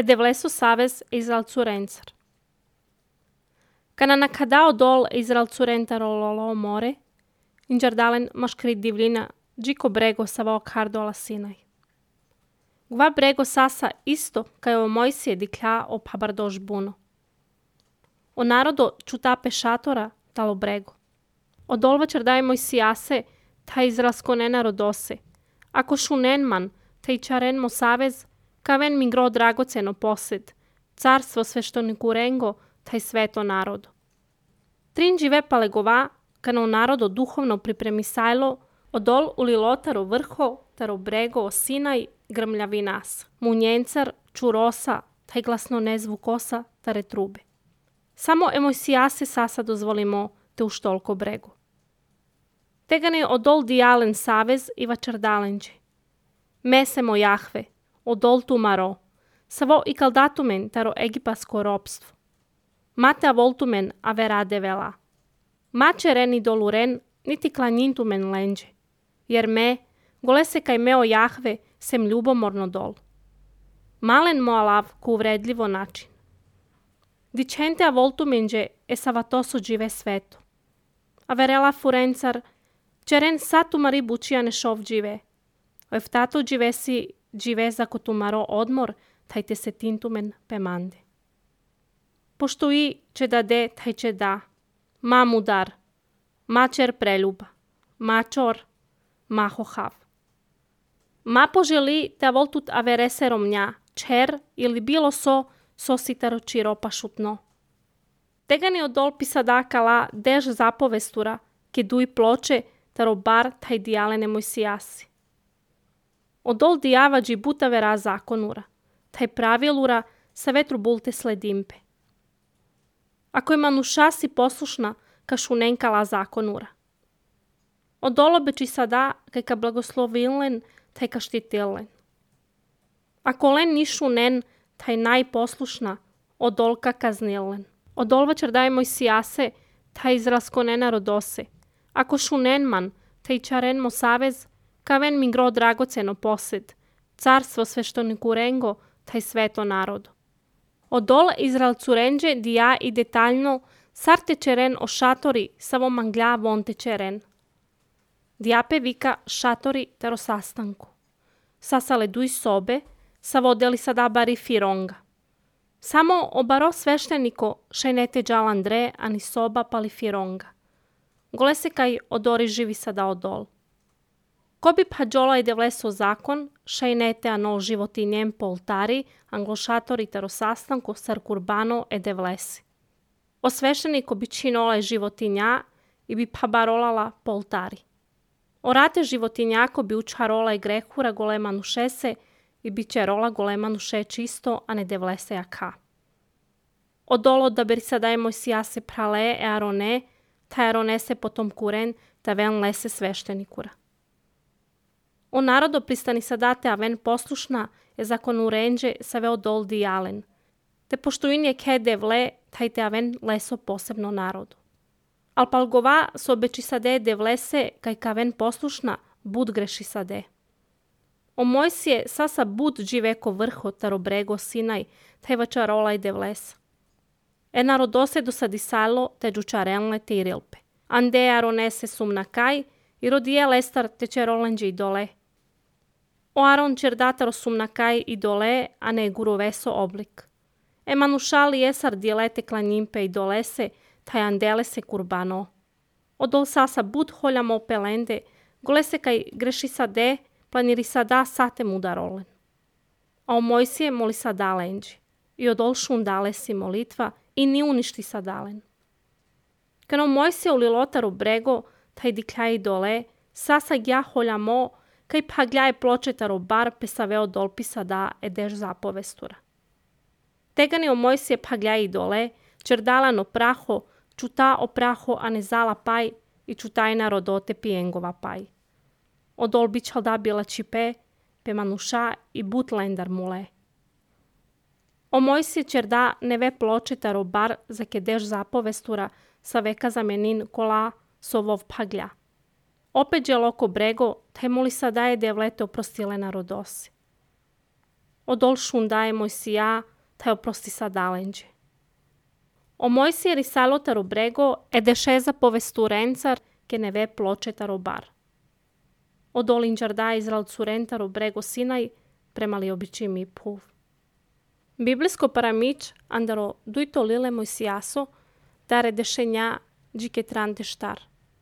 devleso savez Izraelcu rencar. Kana nakadao dol Izraelcu rentarololo more, injardalen maškrit divlina, džiko brego savao kardo ala Sinaj. Gva brego sasa isto kaj o Mojsije diklja o pabardoš buno. O narodo čutape šatora talo brego. O dolva čardaj Mojsijase, ta izraelsko nenarodose. Ako šunen man, ta i čaren mo savez, kaven mi gro dragoceno posed, carstvo sveštoniku rengo, taj sveto narodo. Trin žive palegova, kana u narodo duhovno pripremisajlo, odol ulilotaro vrho, taro brego o Sinaj, grmljavi nas, munjencar, čurosa, taj glasno nezvukosa, tare trube. Samo Mojsijase sasa dozvolimo te uštolko brego. Tegane odol dijalen savez i vačardalenđe. Mesemo Jahve, odol tu maro, savo i kaldatumen taro egipasko ropstvo. Mate a voltumen a verade vela. Mače ren i doluren, niti klanjintumen lenđe. Jer me, gole se kaj meo Jahve, sem ljubomorno dol. Malen moalav ku uvredljivo način. Dicente a voltumenđe e savatoso džive sveto. A verela furencar, čeren satumari bučijane šov džive. Eftato dživesi džive za kotumaro odmor, tajte se tintumen pemande. Pošto i će da de, taj će da. Ma mudar, ma čer preljuba, ma čor, ma hohav. Ma poželi da voltut avereserom nja, čer ili bilo so sitaro čiropa šutno. Tegani odol pisadakala dež zapovestura, ke duj ploče, taro bar taj dijalene Mojsijasi. Odol dijavađi buta vera zakonura, taj pravilura sa vetru bulte sledimpe. Ako je manušasi poslušna, ka šunenkala zakonura. Odol obeči sada, kaj ka blagoslovilen, taj ka štitilen. Ako len ni šunen, taj najposlušna, odol ka kaznilen. Odol vačardaj Mojsijase, taj izraelsko nenarodose. Ako šunen man, taj čaren mo savez, kaven mi gro dragoceno posed, carstvo sveštoniku rengo, taj sveto narodo. Odol Izraelcu renđe dija i detaljno sarte čeren o šatori savo manglja vonte čeren. Dijape vika šatori taro sastanku. Sasale duj sobe, savodeli sada bari fironga. Samo obaro svešteniko šajnete džalandre ani soba pali fironga. Gole se kaj odori živi sada odol. Ko bi pađola i devleso zakon, šajnete anol životinjem po oltari, anglošatori taro sastanku sar kurbano e devlesi. O svešteniko bi činola i životinja i bi pabarolala po oltari. Orate životinjako bi učarola i grehura golemanu šese i bi čerola golemanu še čisto, a ne devlese jaka. Odolo da beri sadaj Mojsijase prale e arone, ta arone se potom kuren, ta ven lese sveštenikura. O narodo pristani sadate a ven poslušna je zakonu renđe sa veo dol dijalen. Te pošto in je ke devle, taj te a ven leso posebno narodu. Al palgova so obeči sade devlese kaj ka ven poslušna bud greši sade. O Mojsije sasa bud dživeko vrho taro brego Sinaj, taj vačarola i devlesa. E narodose do sadisalo te džučarenle te i rilpe. Ande aronese sumna kaj i rodije lestar te čerolenđe i dole. O aron čerdataro sumna kaj i dole, a ne guroveso oblik. E manušali esar dijelete klanjimpe i dolese, taj andele se kurbano. Odol sasa bud holjamo pelende, gole se kaj greši sade, planiri sada sate mudarolen. A o Mojsije moli sada lenđe. I odol šundale si molitva i ni uništi sadalen. Kano Mojsije ulilotaru brego, taj dikljaj dole, sasa ja holjamo, kaj pagljaje pločetaro bar pesaveo dolpi sada edeš zapovestura. Tegani o Mojsije pagljaje dole, čerdalano praho, čuta o praho a ne zala paj i čutajna rodote pijengova paj. Odol bićal da bila čipe, pe manuša i but lendar mule. O Mojsije čerda neve pločetaro bar za kedeš zapovestura sa veka zamenin kola sovov paglja. Opet je loko brego, taj moli sada je devlete oprostile narodosi. odol shundae Moisia, taj oprosti sadalenđe. O Moisia risalotaro brego e descesa povesturențar che ne ve plocetaro bar. Odol ingiardai Israel surentaro brego Sinai prema li običimi puv. Biblijsko paramić andaro duito lile Moisiaso dare dešenja džike trante štar.